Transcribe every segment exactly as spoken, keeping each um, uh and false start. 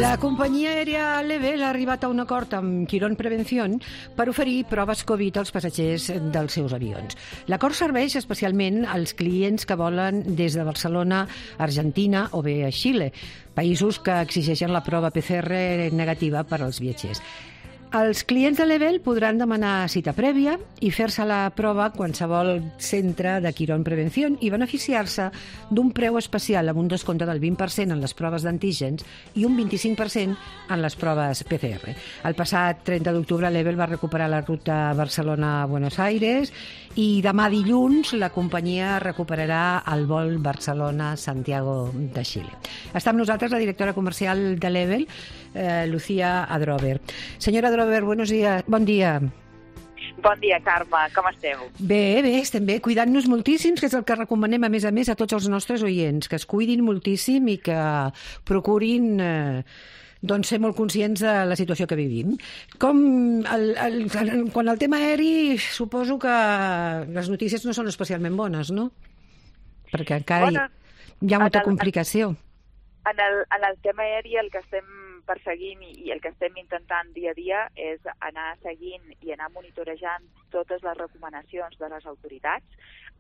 La companyia aèria Level ha arribat a un acord amb Quirón Prevención per oferir proves Covid als passatgers dels seus avions. L'acord serveix especialment als clients que volen des de Barcelona a Argentina o bé a Xile, països que exigeixen la prova P C R negativa per als viatgers. Els clients de Level podran demanar cita prèvia i fer-se la prova a qualsevol centre de Quirón Prevención i beneficiar-se d'un preu especial amb un descompte del vint per cent en les proves d'antígens i un vint-i-cinc per cent en les proves P C R. El passat trenta d'octubre Level va recuperar la ruta Barcelona-Buenos Aires i demà dilluns la companyia recuperarà el vol Barcelona-Santiago de Xile. Està amb nosaltres la directora comercial de Level, eh, Lucía Adrover. Senyora Adrover, buenos días. Bon dia. Bon dia, Carme. Com esteu? Bé, bé, estem bé. Cuidant-nos moltíssims, que és el que recomanem, a més a més, a tots els nostres oients, que es cuidin moltíssim i que procurin eh, doncs, ser molt conscients de la situació que vivim. Com el, el, el, quan el tema aeri, suposo que les notícies no són especialment bones, no? Perquè encara bueno, hi, hi ha molta el, complicació. En el, en el tema aeri el que estem perseguint i el que estem intentant dia a dia és anar seguint i anar monitorejant totes les recomanacions de les autoritats,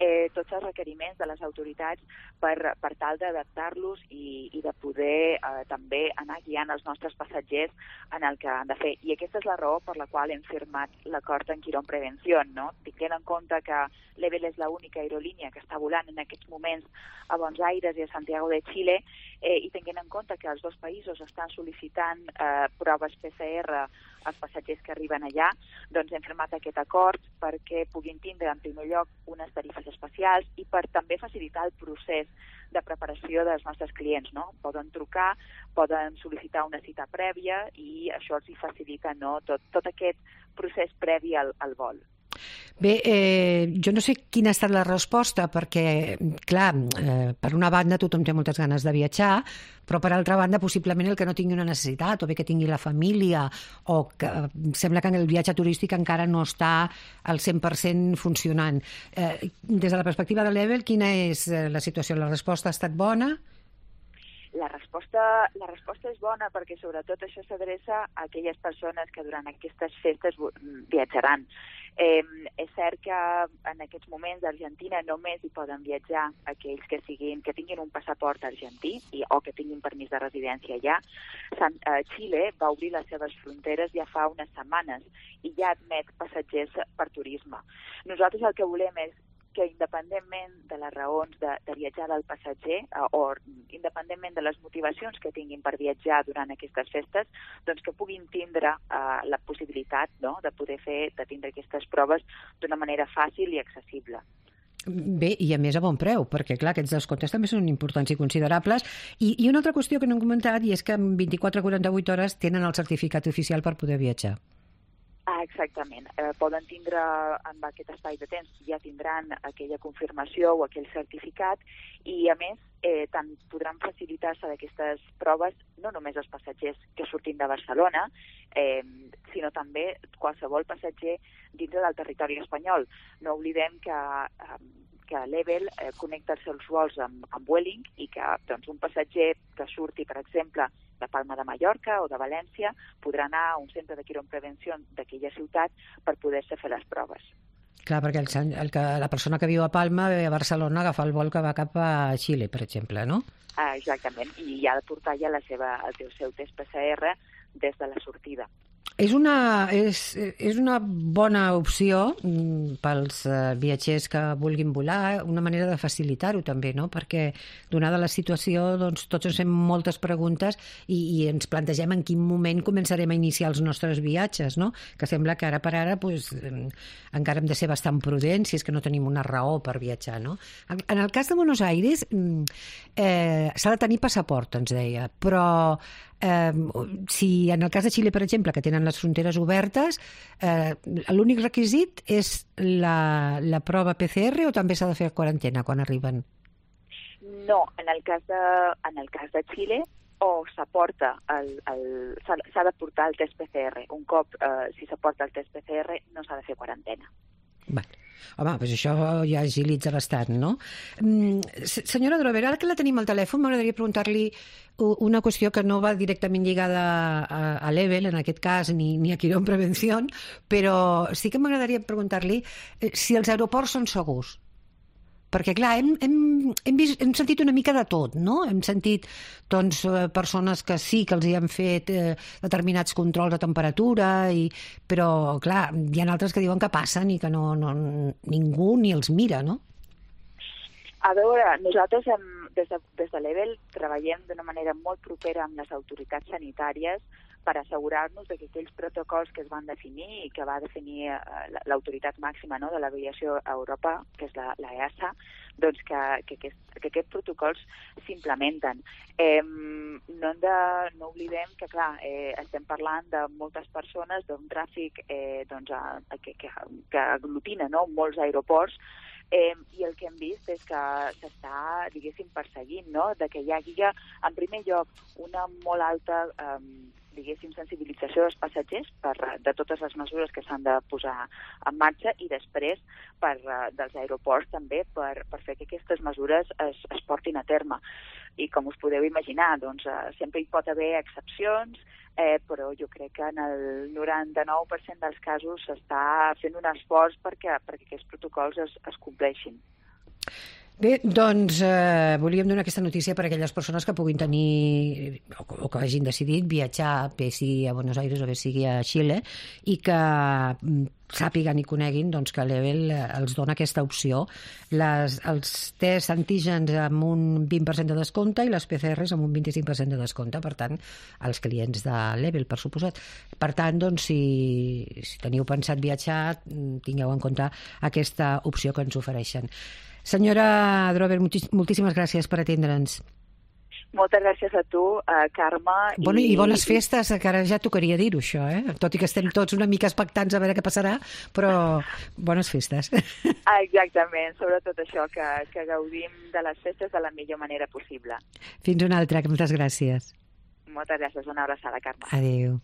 eh, tots els requeriments de les autoritats per, per tal d'adaptar-los i, i de poder eh, també anar guiant els nostres passatgers en el que han de fer. I aquesta és la raó per la qual hem firmat l'acord en Quirón Prevención, no? Tinguent en compte que Level és l'única aerolínia que està volant en aquests moments a Buenos Aires i a Santiago de Xile, eh, i tinguent en compte que els dos països estan sol·licitant eh, proves P C R als passatgers que arriben allà, doncs hem firmat aquest acord perquè puguin tindre en primer lloc unes tarifes especials i per també facilitar el procés de preparació dels nostres clients, no? Poden trucar, poden sol·licitar una cita prèvia i això els facilita, no? tot, tot aquest procés previ al, al vol. Bé, eh, jo no sé quina ha estat la resposta, perquè, clar, eh, per una banda tothom té moltes ganes de viatjar, però per altra banda possiblement el que no tingui una necessitat, o bé que tingui la família, o que sembla que el viatge turístic encara no està al cent per cent funcionant. Eh, des de la perspectiva de Level, quina és la situació? La resposta ha estat bona? La resposta, la resposta és bona perquè sobretot això s'adreça a aquelles persones que durant aquestes festes viatjaran. Eh, és cert que en aquests moments d'Argentina només hi poden viatjar aquells que siguin que tinguin un passaport argentí i, o que tinguin permís de residència allà. Sant, eh, Xile va obrir les seves fronteres ja fa unes setmanes i ja admet passatgers per turisme. Nosaltres el que volem és que independentment de les raons de, de viatjar del passatger eh, o independentment de les motivacions que tinguin per viatjar durant aquestes festes, doncs que puguin tindre eh, la possibilitat, no?, de poder fer, de tindre aquestes proves d'una manera fàcil i accessible. Bé, i a més a bon preu, perquè clar, aquests descomptes també són importants i considerables. I, i una altra qüestió que no hem comentat i és que en vint-i-quatre a quaranta-vuit hores tenen el certificat oficial per poder viatjar. Ah, exactament. Eh, poden tindre en aquest espai de temps, ja tindran aquella confirmació o aquell certificat i, a més, eh, tant podran facilitar-se d'aquestes proves no només els passatgers que surtin de Barcelona, eh, sinó també qualsevol passatger dintre del territori espanyol. No oblidem que eh, que Level eh, connecta els seus vols amb, amb Vueling i que doncs, un passatger que surti, per exemple, de Palma de Mallorca o de València podrà anar a un centre de Quirón Prevención d'aquella ciutat per poder-se fer les proves. Clar, perquè el, el que, la persona que viu a Palma ve a Barcelona a agafar el vol que va cap a Xile, per exemple, no? Ah, exactament, i ha de portar ja la seva, el seu test P C R des de la sortida. És una, és, és una bona opció pels viatgers que vulguin volar, una manera de facilitar-ho també, no? Perquè donada la situació doncs, tots ens fem moltes preguntes i, i ens plantegem en quin moment començarem a iniciar els nostres viatges, no? Que sembla que ara per ara pues, encara hem de ser bastant prudents si és que no tenim una raó per viatjar, no? En el cas de Buenos Aires eh, s'ha de tenir passaport, ens deia, però Eh, si en el cas de Xile, per exemple, que tenen les fronteres obertes, eh, l'únic requisit és la, la prova P C R o també s'ha de fer quarantena quan arriben? No, en el cas de, en el cas de Xile o s'aporta el, el, s'ha de portar el test P C R. Un cop, eh, si s'aporta el test P C R, no s'ha de fer quarantena. Vale. Home, doncs això ja agilitza bastant, no? Mm, senyora Drover, ara que la tenim al telèfon, m'agradaria preguntar-li una qüestió que no va directament lligada a, a Level, en aquest cas, ni, ni a Quirón Prevención, però sí que m'agradaria preguntar-li si els aeroports són segurs. Perquè, clar, hem, hem, hem, vist, hem sentit una mica de tot, no? Hem sentit doncs, persones que sí que els hi han fet eh, determinats controls de temperatura, i, però, clar, hi ha altres que diuen que passen i que no, no, ningú ni els mira, no? A veure, nosaltres hem, des de, des de Level treballem d'una manera molt propera amb les autoritats sanitàries per assegurar-nos que aquells protocols que es van definir i que va definir l'autoritat màxima, no, de l'aviació a Europa, que és la, la E A S A, doncs que, que, que, que aquests protocols s'implementen. Eh, no, hem de, no oblidem que, clar, eh, estem parlant de moltes persones, d'un tràfic eh, doncs, a, que, que, que aglutina, no, molts aeroports, Eh, i el que hem vist és que s'està, diguéssim, perseguint, no?, de que hi hagi, en primer lloc, una molt alta, eh, diguéssim, sensibilització dels passatgers per, de totes les mesures que s'han de posar en marxa, i després per, dels aeroports també per, per fer que aquestes mesures es, es portin a terme. I com us podeu imaginar, doncs, eh, sempre hi pot haver excepcions, eh, però jo crec que en el noranta-nou per cent dels casos s'està fent un esforç perquè, perquè aquests protocols es, es compleixin. Bé, doncs eh, volíem donar aquesta notícia per a aquelles persones que puguin tenir o, o que hagin decidit viatjar, bé sigui a Buenos Aires o bé sigui a Xile, i que sàpiguen i coneguin doncs, que Level els dona aquesta opció. Les, els tests antígens amb un vint per cent de descompte i les P C Rs amb un vint-i-cinc per cent de descompte, per tant, als clients de Level, per suposat. Per tant, doncs, si, si teniu pensat viatjar, tingueu en compte aquesta opció que ens ofereixen. Senyora Drover, moltíssimes gràcies per atendre'ns. Moltes gràcies a tu, uh, Carme. Bueno, I bones festes, que ara ja tocaria dir-ho, això, eh? Tot i que estem tots una mica expectants a veure què passarà, però bones festes. Exactament, sobretot això, que, que gaudim de les festes de la millor manera possible. Fins una altra, moltes gràcies. Moltes gràcies, una abraçada, Carme. Adéu.